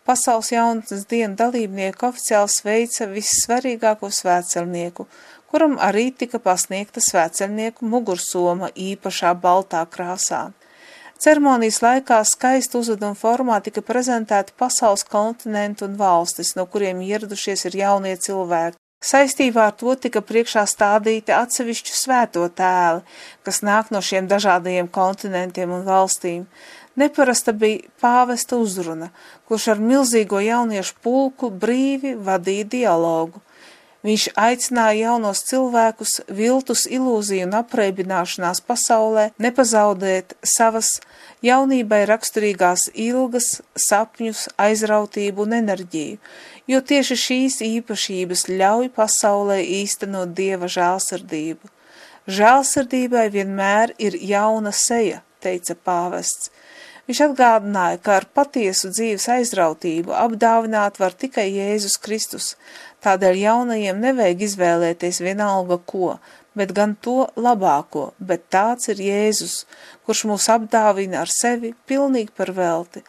Pasaules jaunatnes dienu dalībnieku oficiāli sveica vissvarīgāko svētceļnieku, kuram arī tika pasniegta svētceļnieku mugursoma īpašā baltā krāsā. Ceremonijas laikā skaistu uzvedumu formā tika prezentēti pasaules kontinenti un valstis, no kuriem ieradušies ir jaunie cilvēki. Saistībā ar to tika priekšā stādīti atsevišķu svēto tēli, kas nāk no šiem dažādajiem kontinentiem un valstīm. Neparasta bija pāvesta uzruna, kurš ar milzīgo jauniešu pulku brīvi vadīja dialogu. Viņš aicināja jaunos cilvēkus viltus ilūziju un apreibināšanās pasaulē nepazaudēt savas jaunībai raksturīgās ilgas, sapņus, aizrautību un enerģiju, jo tieši šīs īpašības ļauj pasaulē īstenot Dieva žēlsirdību. Žēlsirdībai vienmēr ir jauna seja, teica pāvests. Viņš atgādināja, ka ar patiesu dzīves aizrautību apdāvināt var tikai Jēzus Kristus, tādēļ jaunajiem nevajag izvēlēties vienalga ko, bet gan to labāko, bet tāds ir Jēzus, kurš mūs apdāvina ar sevi pilnīgi par velti.